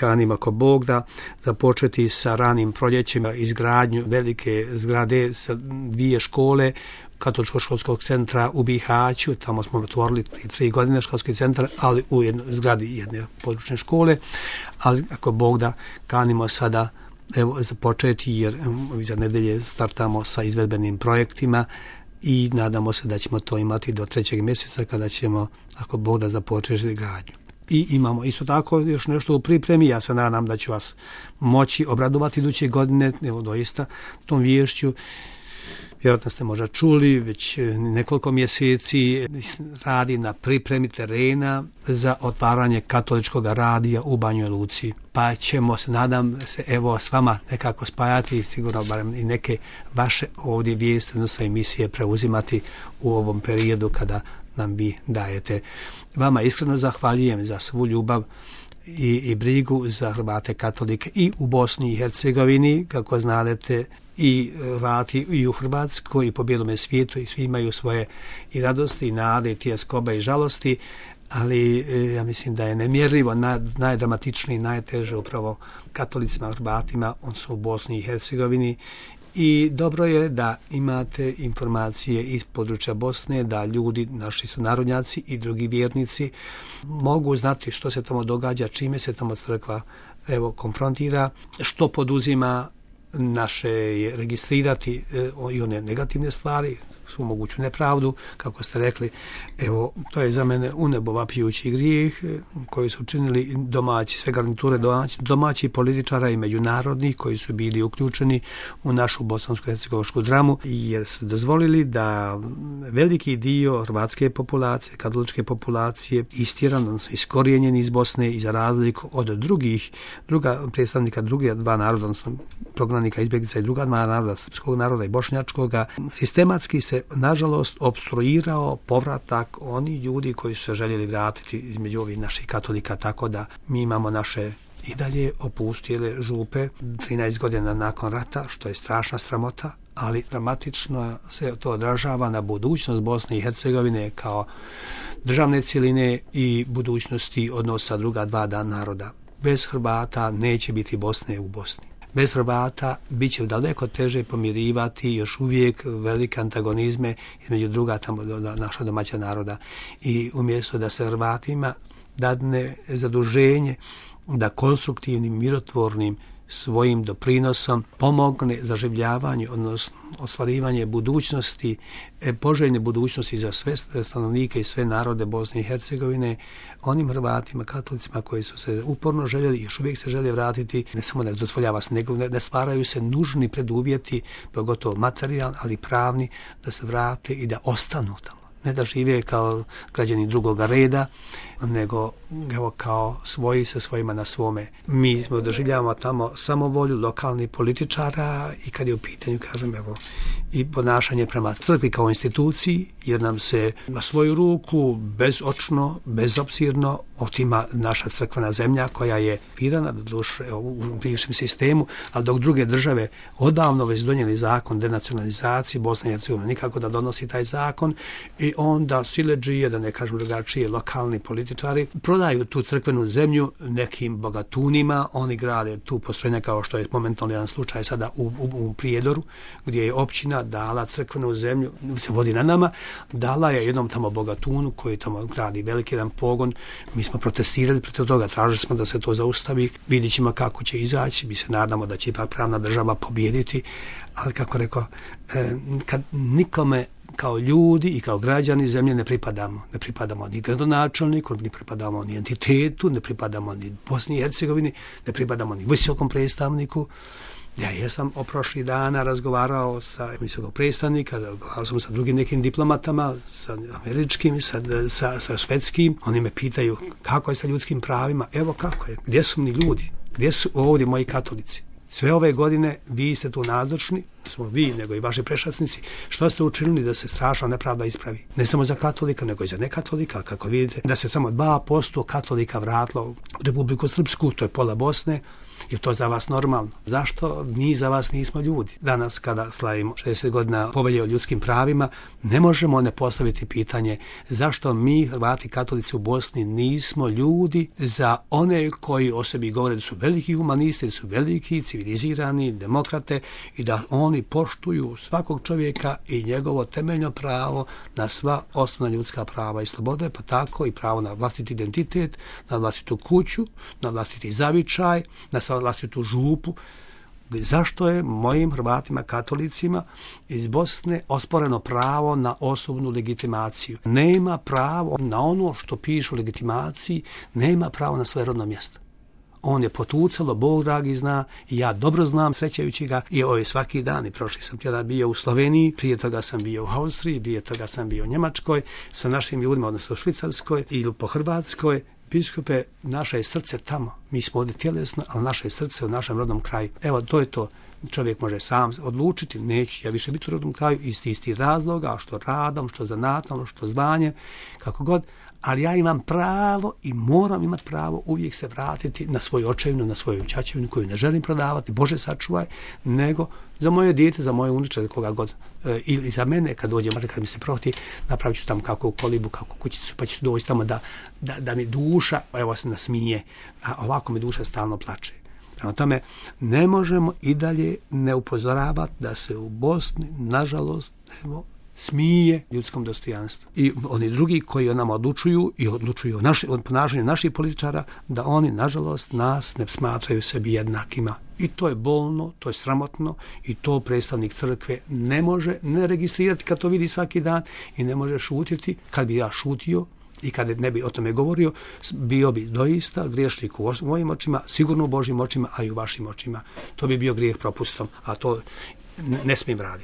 kanimo ako Bog da započeti sa ranim proljećima izgradnju velike zgrade sa 2 škole Katoličko-školskog centra u Bihaću. Tamo smo otvorili 3 godine školski centar, ali u zgradi jedne područne škole. Ali ako Bog da kanimo sada započeti, jer za nedelje startamo sa izvedbenim projektima i nadamo se da ćemo to imati do 3. mjeseca kada ćemo, ako Bog da, započeti gradnju. I imamo isto tako još nešto u pripremi. Ja se nadam da ću vas moći obradovati iduće godine, doista tom viješću. Vjerojatno ste možda čuli, već nekoliko mjeseci radi na pripremi terena za otvaranje katoličkog radija u Banjoj Luci. Pa ćemo se, nadam se, s vama nekako spajati, sigurno barem i neke vaše ovdje vijesti, odnosno emisije preuzimati u ovom periodu kada nam vi dajete. Vama iskreno zahvaljujem za svu ljubav i brigu za Hrvate katolike i u Bosni i Hercegovini, kako znadete, i Hrvati i u Hrvatskoj i po bijelome svijetu, i svi imaju svoje i radosti i nade i tjeskobe i žalosti, ali ja mislim da je nemjerljivo najdramatičniji, najteže upravo katolicima, Hrvatima, on su u Bosni i Hercegovini. I dobro je da imate informacije iz područja Bosne, da ljudi, naši sunarodnjaci i drugi vjernici mogu znati što se tamo događa, čime se tamo crkva konfrontira, što poduzima. Naše je registrirati i one negativne stvari, svu moguću nepravdu, kako ste rekli. To je za mene u nebo vapijući grijeh koji su učinili domaći, sve garniture domaći političara i međunarodnih koji su bili uključeni u našu bosansko-hercegovačku dramu, jer su dozvolili da veliki dio hrvatske populacije, katoličke populacije istjeran, odnosno iskorijenjeni iz Bosne i za razliku od predstavnika druge 2 naroda, odnosno prognanika, izbjeglica i druga 2 naroda, srpskog naroda i bošnjačkoga, sistematski se nažalost opstruirao povratak oni ljudi koji su se željeli vratiti između ovih naših katolika, tako da mi imamo naše i dalje opustile župe 13 godina nakon rata, što je strašna sramota, ali dramatično se to odražava na budućnost Bosne i Hercegovine kao državne cjeline i budućnosti odnosa druga 2 naroda. Bez Hrvata neće biti Bosne u Bosni. Bez Hrvata bit će daleko teže pomirivati još uvijek velike antagonizme između druga tamo naša domaća naroda. I umjesto da se Hrvatima dadne zaduženje da konstruktivnim, mirotvornim svojim doprinosom pomogne zaživljavanju, odnosno ostvarivanje budućnosti, poželjne budućnosti za sve stanovnike i sve narode Bosne i Hercegovine, onim Hrvatima, katolicima koji su se uporno željeli i još uvijek se žele vratiti, ne samo da dozvoljava se, nego ne stvaraju se nužni preduvjeti, pogotovo materijalni, ali pravni, da se vrate i da ostanu tamo. Ne da žive kao građani drugoga reda, nego kao svoji sa svojima na svome. Mi smo doživljavamo tamo samovolju lokalnih političara i kad je u pitanju, kažem, i ponašanje prema crkvi kao instituciji, jer nam se na svoju ruku bezočno, bezobzirno otima naša crkvena zemlja koja je pirana doduše u bivšem sistemu, ali dok druge države odavno već donijeli zakon denacionalizaciji, Bosna i Hercegovina nikako da donosi taj zakon, i onda siledžije, da ne kažem drugačije, lokalni političari prodaju tu crkvenu zemlju nekim bogatunima. Oni grade tu postrojenja, kao što je momentalno jedan slučaj sada u Prijedoru, gdje je općina dala crkvenu zemlju, se vodi na nama, dala je jednom tamo bogatunu koji tamo gradi veliki jedan pogon. Mi smo protestirali protiv toga, tražili smo da se to zaustavi, vidjet ćemo kako će izaći, mi se nadamo da će ipak pravna država pobijediti, ali kako rekao, kad nikome kao ljudi i kao građani zemlje ne pripadamo ni gradonačelniku, ne pripadamo ni entitetu, ne pripadamo ni Bosni i Hercegovini, ne pripadamo ni visokom predstavniku. Ja jesam prošli dana razgovarao sa visokog predstavnika, razgovarao sam sa drugim nekim diplomatama, sa američkim, sa švedskim. Oni me pitaju kako je sa ljudskim pravima. Evo kako je, gdje su mi ljudi, gdje su ovdje moji katolici? Sve ove godine vi ste tu nazočni, smo vi, nego i vaši prešacnici. Što ste učinili da se strašna nepravda ispravi? Ne samo za katolika, nego i za nekatolika. Kako vidite, da se samo 2% katolika vratilo u Republiku Srpsku, to je pola Bosne, Je to za vas normalno? Zašto mi za vas nismo ljudi? Danas kada slavimo 60 godina Povelje o ljudskim pravima, ne možemo ne postaviti pitanje zašto mi, Hrvati katolici u Bosni, nismo ljudi za one koji o sebi govore da su veliki humanisti, da su veliki civilizirani demokrate i da oni poštuju svakog čovjeka i njegovo temeljno pravo na sva osnovna ljudska prava i slobode, pa tako i pravo na vlastiti identitet, na vlastitu kuću, na vlastiti zavičaj, na vlastitu župu. Zašto je mojim Hrvatima katolicima iz Bosne osporeno pravo na osobnu legitimaciju? Nema pravo na ono što piše u legitimaciji, nema pravo na svoje rodno mjesto. On je potucalo, Bog dragi zna, i ja dobro znam, srećajući ga, i ovo je svaki dan, i prošli sam tjedan bio u Sloveniji, prije toga sam bio u Austriji, prije toga sam bio u Njemačkoj, sa našim ljudima, odnosno u Švicarskoj ili po Hrvatskoj. Biskupe, naše je srce tamo, mi smo ovdje tjelesno, ali naše je srce u našem rodnom kraju. Evo, to je to. Čovjek može sam odlučiti, neću ja više biti u rodnom kraju iz istih razloga, što radom, što zanatom, što zvanjem, kako god, ali ja imam pravo i moram imati pravo uvijek se vratiti na svoju očevinu, na svoju ćaćevinu koju ne želim prodavati, Bože sačuvaj, nego za moje dijete, za moje unuče, koga god, ili za mene kad dođe, kad mi se prohti, napravit ću tamo kako kolibu, kako kućicu, pa ću doći tamo da mi duša, evo se nasmije, a ovako mi duša stalno plače. Prema tome, ne možemo i dalje ne upozoravati da se u Bosni, nažalost, smije ljudskom dostojanstvu. I oni drugi koji o nama odlučuju i odlučuju o ponašanju naših političara, da oni, nažalost, nas ne smatraju sebi jednakima. I to je bolno, to je sramotno i to predstavnik crkve ne može ne registrirati kad to vidi svaki dan i ne može šutiti. Kad bi ja šutio i kad ne bi o tome govorio, bio bi doista griješnik u mojim očima, sigurno u Božjim očima, a i u vašim očima. To bi bio grijeh propustom, a to ne smijem raditi.